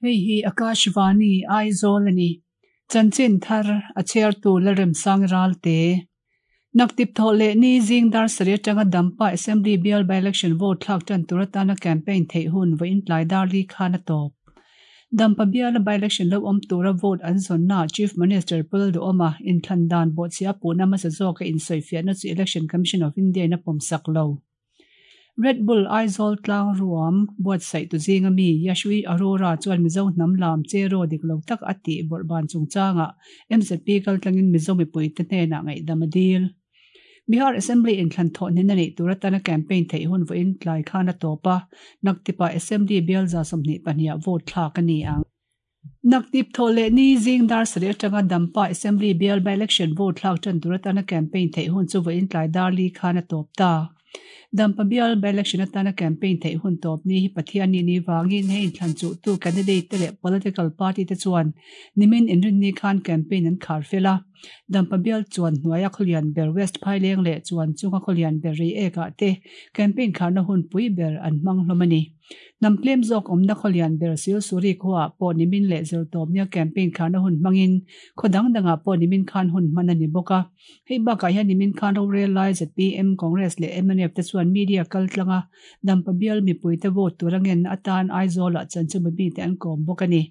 Hei hi Akashvani, Aizawl a ni. Chanchin thar a chhiartu Lalremsang Ralte. Naktip thawh leh ni zing dar sarih atanga Dampa Assembly bial by-election vote thlak tan tur atana campaign theih hun vawiin tlai dar li khan a tawp. Dampa biala by-election lo awm tura vote an zawnnaah Chief Minister Pu Lalduhawma inthlan dan bawhchhia puhna hmasa zawka insawifiahna chu Election Commission of India in a pawmsak lo. Red Bull Aizawl tlang ruam buatsaih tu zinga mi Yashwi Arora chuan Mizo hnam lam cheraw dik lo tak a tih bawrhban chungchangah MZP kaltlangin Mizo mipuite hnenah ngaihdam a dil. Bihar Assembly inthlan thawh hnen a neih tur atana campaign theih hun vawiin tlai khan a tawp a, naktipah Assembly bial 22 ah vote thlak a ni ang. Naktip thawh leh ni zing dar sarih atanga Dampa Assembly bial by-election vote thlak tan tur atana campaign theih hun chu vawiin tlai dar li khan a tawp ta. Dampa bial by-election atana campaign theih hun tawp ni hi Pathianni ni vangin he inthlan chuhtu candidate te leh political party te chuan nimin inrinni khan campaign an khar fel a. Dampa bial chuan hnuaia khawlian ber West Phaileng leh chuan chunga khawlian ber Reiek ah te campaign kharna hun pui ber an hmang hlawm a ni. Hnam tlem zawk awmna khawlian ber Silsuri khuaah pawh nimin leh zirtawpnia campaign kharna hun hmangin khaw dang dangah pawh nimin khan hun hman a ni bawk a. Hei bakah hian nimin khan rorel lai zpm, Congress leh mnf te chuan media kal tlanga Dampa bial mipuite vote tura ngenna atan Aizawlah chanchinbu mite an kawm bawk a ni.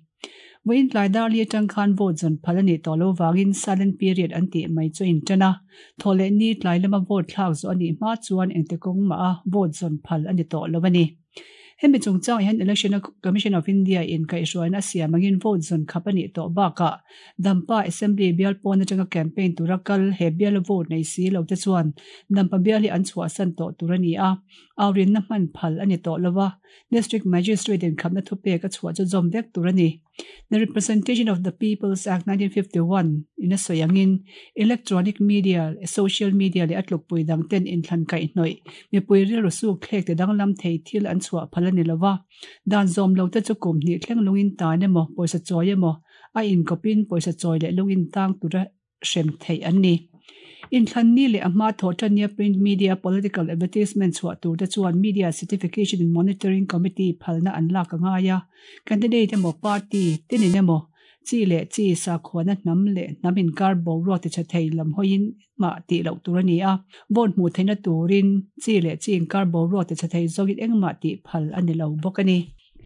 Vawiin tlai dar li atang khan vote zawn phal a nih tawh lo vangin silent period an tih mai chu a intan a, thawh leh ni tlai lama vote thlak zawh a nih hma chuan engti kawng mah a vote zawn phal a ni tawh lo a ni. Hemi chungchangah hian Election Commission of India in kaihhruaina a siam angin vote zawn khap a nih tawh bakah Dampa Assembly bial pawn atanga campaign tura kal he biala vote nei si lo te chuan Dampa bial hi an chhuahsan tawh tur a ni a, aurinna hman phal a ni tawh lo a. District Magistrate in khapna thupek a chhuah chu zawm vek tur a ni. The Representation of the Peoples Act 1951 in a sawi angin electronic media, social media leh a tlukpui dang ten inthlan kaihhnawih mipui rilru suk thlek ti danglam thei thil an chhuah phal a ni lo va. Dan zawm lo te chu kum hnih thleng lungin tan emaw, pawisa chawi emaw, a inkawpin pawisa chawi leh lungin tang tura hrem theih an ni. Inthlan ni leh a hma thawh tania print media political advertisement chhuah tur te chuan Media Certification and Monitoring Committee phalna an lak a ngai a, candidate emaw party tinin emaw chi leh chi sakhuana hnam leh hnam inkar boruak tichhe thei lam hawiin engmah tih loh tur a ni a, vote hmuh theihna turin chi leh chi inkar boruak tichhe thei zawngin engmah tih phal a ni lo bawk a ni.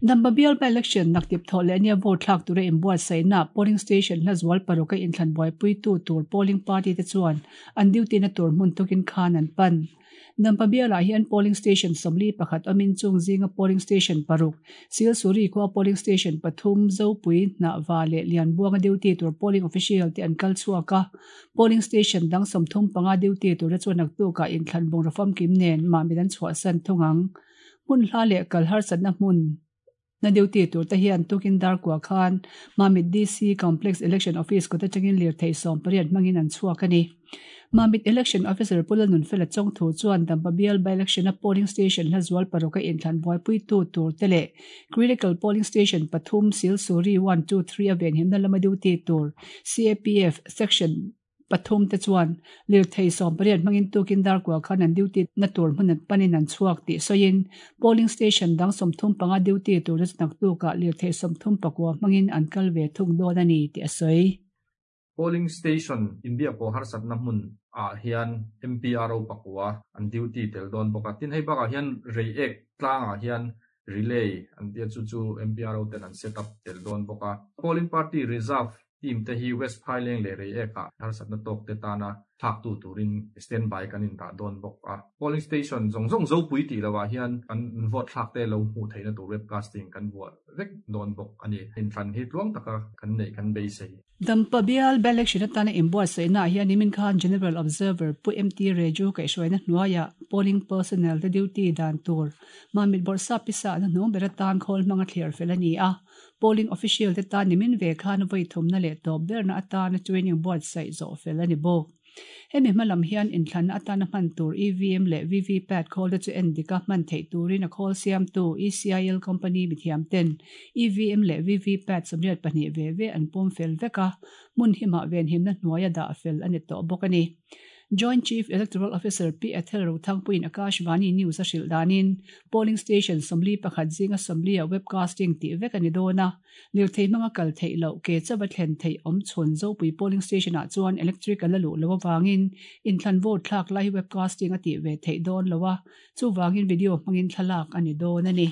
Dampa bial by-election naktip thawh leh ania vote thlak tura inbuatsaihna polling station hla zual paruk a inthlan buaipuitu tur polling party te chuan an duty na tur hmun tukin khan an pan. Dampa bialah hian polling station 41 awmin chung zinga polling station paruk, Silsuri khua polling station pathum, Zopui, Hnahva leh Lianbuanga duty tur polling official te an kal chhuak a. Polling station dang 35 duty tura chuan naktukah inthlan bungraw famkim nen mahmit an chhuahsan thung ang. Hmun hla leh kal harsatna hmun na duty tur te hian tukin dar kua khan Mamit DC Complex Election Office kawt atangin lirthei 18 hmangin an chhuak a ni. Mamit Election Officer Pu Lalnunfela Chawngthu chuan Dampa bial by-election a polling station hla zual paruk a inthlan buaipuitu tur te leh Critical Polling Station pathum Silsuri one two three a venhimna lama duty tur CAPF Section Pathum te chuan lirthei 18 hmangin tukin dar kua khan an duty na tur hmun an panin an chhuak tih sawiin polling station dang 35 duty tur te chu naktukah lirthei 39 hmangin an kal ve thung dawn a ni tih a sawi. Polling station inbiak pawh harsatna hmun ah hian MPRO pakua an duty tel dawn bawk a, tin hei bakah hian Reiek tlangah hian relay an tia chu chu MPRO ten an set up tel dawn bawk a. Polling party reserve Team te hi West Phaileng leh Reiek ah harsatna tawk te tana thlaktu turin stand by kan indah dawn bawk a. Polling station zawng zawng Zopui tih loh ah hian kan vote thlak te lo hmuh theihna tur webcasting kan vuah vek dawn bawk a ni. Inthlan hi tluang taka kan neih kan beisei. Dampa bial by-election atana inbuatsaihna ah hian nimin khan General Observer Pu MT Reju kaihhruaina hnuaiah polling personnel te duty dan tur Mamit Bawrhsap pisa na hnung ber atan khawl hmanga thliar fel a ni a. Polling official te tan nimin ve khan vawi thumna leh tawp berna atana training buatsaih zawh fel a ni bawk. Hemi hma lam hian inthlanna atana hman tur EVM leh VVPAT khawl te chu en dik a hman theih turin a khawl siamtu ECIL company mithiam ten EVM leh VVPAT 82 ve ve an pawm fel vek a, hmun himah venhimna hnuaia dah fel a ni tawh bawk a ni. Joint Chief Electoral Officer Pi Ethel Rothangpuiin Akashvani News a hrilh danin polling station 41 zinga 40 ah webcasting tih vek a ni dawn a, lirthei hmanga kal theih loh ke chauh a thlen theih awm chhun Zopui polling station ah chuan electric a la luh loh avangin inthlan vote thlak lai hi webcasting a tih ve theih dawn lo a, chuvangin video hmangin thlalak a ni dawn a ni.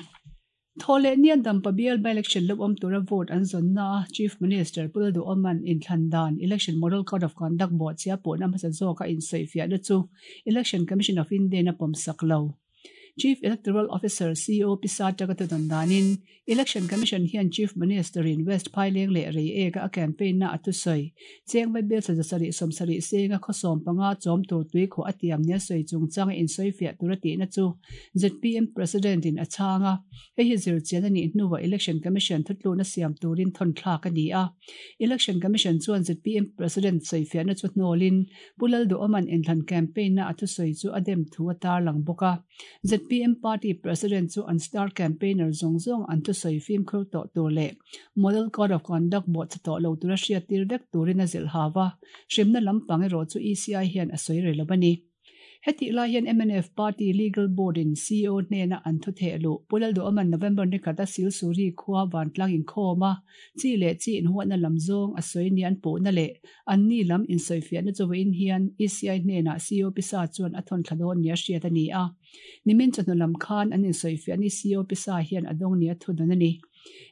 Thawhleh nia Dampa bial by-election lo awm tura vote an zawnna a Chief Minister Pu Lalduhawma'n inthlan dan Election Model Code of Conduct bawhchhia pawhna hmasa zawka insawifiahna chu Election Commission of India-in a pawmsak lo. Chief Electoral Officer CO Pisa Taka thudawn danin Election Commission hian Chief Minister-in West Phaileng leh Reiek-a a campaign-na a thusawi Cheng Vaibel 770 senga khaw 15 chawm tur tuikhuah a tiam nia sawi chungchanga insawifiah tur a tihna chu zpm President-in a chhang a, hei hi zirchian a nih hnuah Election Commission thutlukna siam turin thawnthlak a ni a. Election Commission chuan zpm President sawifiahna chu hnawlin Pu Lalduhawma'n inthlan campaign-na a thusawi chu a dem thu a tarlang bawk a. Zpm party president chu an star campaigner zawng zawng an thusawi fimkhur tawh tur leh Model Code of Conduct bawhchhe tawh lo tura hriattir vek turin a zilh hau a, hremna lampang erawh chu ECI hian a sawi rih lo a ni. Hetih lai hian mnf Party Legal Board in CEO hnena an thu theh luh Pu Lalduhawma'n November ni khat a Silsuri khua vantlang inkhawm a, chi leh chi inhuatna lam zawng a sawi nia an puhna leh Anni lam insawifiahna chu vawiin hian ECI hnenah CEO Pisa chuan a thawn thla dawn nia hriat a ni a. Nimin chawhnu lam khan an insawifiah ni CEO Pisa hian a dawng nia thu dawn a ni.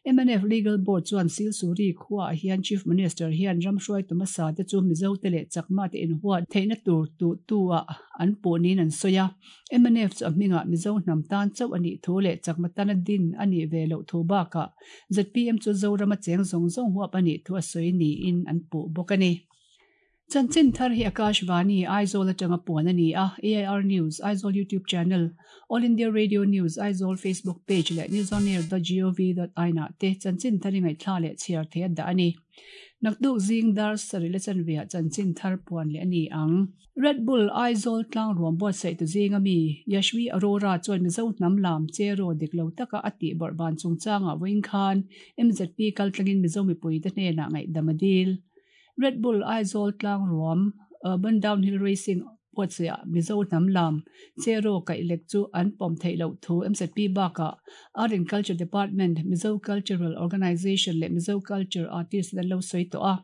Mnf Legal Board chuan Silsuri khuaah hian Chief Minister hian ram hruaitu hmasa te chu Mizo te leh Chakma te inhuat theihna tur tuhtu ah an puh niin an sawi a. Mnf chu a hmingah Mizo hnam tan chauh a nih thu leh Chakma tana din a nih ve loh thu bakah zpm chu Zorama cheng zawng zawng huap a nih thu a sawi niin an puh bawk a ni. Chanchin thar hi Akashvani, Aizawl atanga puan a ni a, AIR News, Aizawl YouTube Channel, All India Radio News, Aizawl Facebook Page leh newsonair dot gov dot in ah te chanchin thar i ngaihthla leh chhiar thei a dah a ni. Nakduk zing dar sarih le chanveah chanchin thar puan leh a ni ang. Red Bull Aizawl tlang ruam buatsaih tu zinga mi Yashvi Arora chuan Mizo hnam lam che raw dik lo taka a tih bawrh ban chungchangah vawiin khan MZP kaltlangin Mizo mipuite hnenah ngaihdam a dil. Red Bull Aizawl tlang ruam Urban Downhill Racing buatsaihah Mizo hnam lam che raw kaih lek chu an pawm theih loh thu MZP bakah Art and Culture Department, Mizo Cultural Organisation leh Mizo Culture Artist ten an lo sawi tawh a.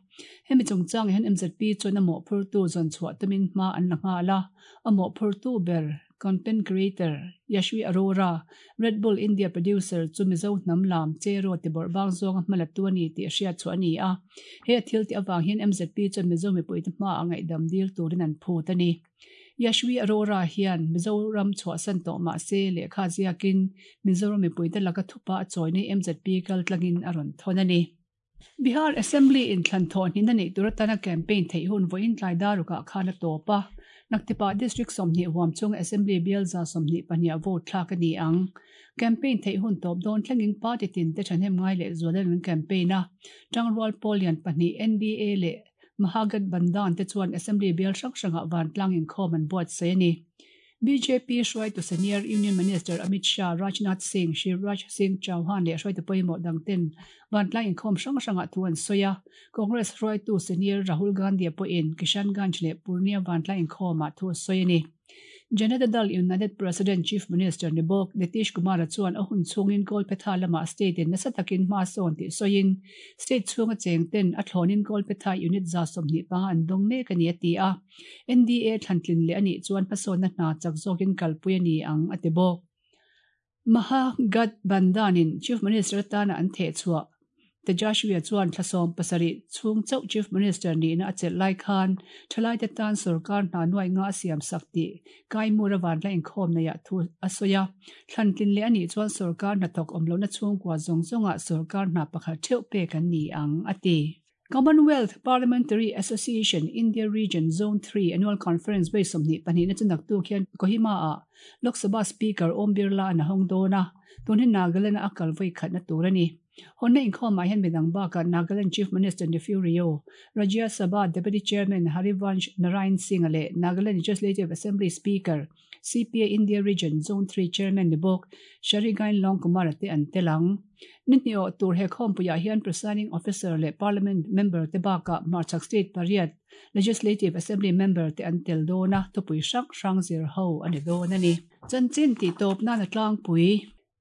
Hemi chungchangah hian MZP chuan a mawhphurtu zawn chhuah tumin hma an la nghal a, a mawhphurtu ber content creator Yashvi Arora, Red Bull India producer chu Mizo hnam lam Cheraw ti bawrh bang zawnga hma latu a ni tih a hriat chhuah a ni a. He a thil tih avang hian MZP chuan Mizo mipuite hmaah ngaihdam dil turin an phut a ni. Yashvi Arora hian Mizoram chhuahsan tawh mah se lehkha ziakin Mizoram mipuite laka thupa a chawina hi MZP kaltlangin a rawn thawn a ni. Bihar Assembly inthlan thawhhnihna neih tur atana campaign theih hun vawiin tlai darukah khan a tawp a, Naktipah District 20 huam chunga Assembly bial 22 vote thlak a ni ang. Campaign theih hun tawp dawn thlengin party tin te thahnem ngai leh zualin an campaign a, Tangrual pawl lian pahnih NDA leh Mahagathbandhan te chuan Assembly bial hrang hrangah vantlang inkhawm an buatsaih a ni. Bjp hruaitu Senior Union Minister Amit Shah, Rajnath Singh, Shivraj Singh Chauhan leh hruaitu pawimawh dangten vantlang inkhawm hrang hrangah thu an sawi a. Congress hruaitu Senior Rahul Gandhi-a pawhin Kishanganj leh Purnia vantlang inkhawmah thu a sawi a ni. Janata Dal United President Chief Minister ni bawk Nitish Kumar-a chuan a hun chhungin Kolpetha lamah state-in nasa takin hma sawn tih sawiin state chhunga chengten a thlawnin Kolpetha unit 25 an dawng mek a ni a ti a. NDA thlantlin leh a nih chuan hmasawnna hna chak zawkin kalpui a ni ang, a ti bawk. Mahagathbandhan-in Chief Minister atana an theh chhuah Tejashwi-a chuan thla 70 chhung chauh Chief Minister nihna a chelh lai khan thalaite tan sorkar hna nuai nga a siam sak tih Kaimura vanla inkhawm neiah thu a sawi a. Thlantlin leh a nih chuan sorkar hnathawk awm lohna chhungkua zawng zawngah sorkar hna pakhat theuh pek an ni ang, a ti. Commonwealth Parliamentary Association India Region Zone 3 Annual Conference vawi 22 na chu naktuk hian Kohima ah Lok Sabha Speaker Om Birla an a hawng dawn a, tun hi Nagaland a kal vawi khatna tur a ni. Hawnna inkhawmah hian midang bakah Nagaland Chief Minister Neiphiu Rio, Rajya Sabha Deputy Chairman Harivansh Narayan Singh-a leh Nagaland Legislative Assembly Speaker CPA India Region Zone 3 Chairman ni bawk Sharigain Longkumar-a te an tel ang. Ni hnih awh tur he khawmpuiah hian Presiding Officer leh Parliament member te bakah hmarchhak state pariat Legislative Assembly member te an tel dawn a, thupui hrang hrang zir ho a ni dawn a ni. Chanchin tihtawp nan a tlangpui.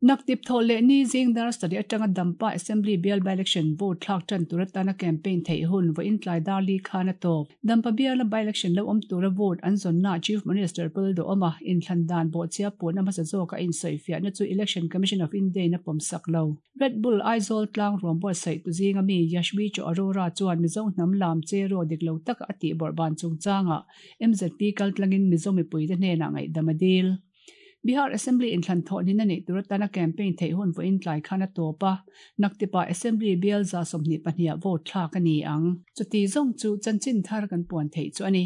Naktip thawh leh ni zing dar sarih atanga Dampa Assembly bial by-election vote thlak tan tur atana campaign theih hun vawiin tlai dar li khan a tawp. Dampa biala by-election lo awm tura vote an zawnnaah Chief Minister Pul Duhawma inthlan dan bawhchhia puhna hmasa zawka insawifiahna chu Election Commission of India-in a pawmsak lo. Red Bull Aizawl tlang ruam buatsaih tu zinga mi Yashvi Cho Arora chuan Mizo hnam lam che raw dik lo taka a tih bawrhban chungchangah MZP kaltlangin Mizo mipuite hnenah ngaihdam a dil. Bihar Assembly inthlan thawhnin a neih tur atana campaign theih hun vawiin tlai khan a tawp a, naktipah Assembly bial 122 ah vote thlak a ni ang. Chuti zawng chu chanchin thar kan puan theih chu a ni.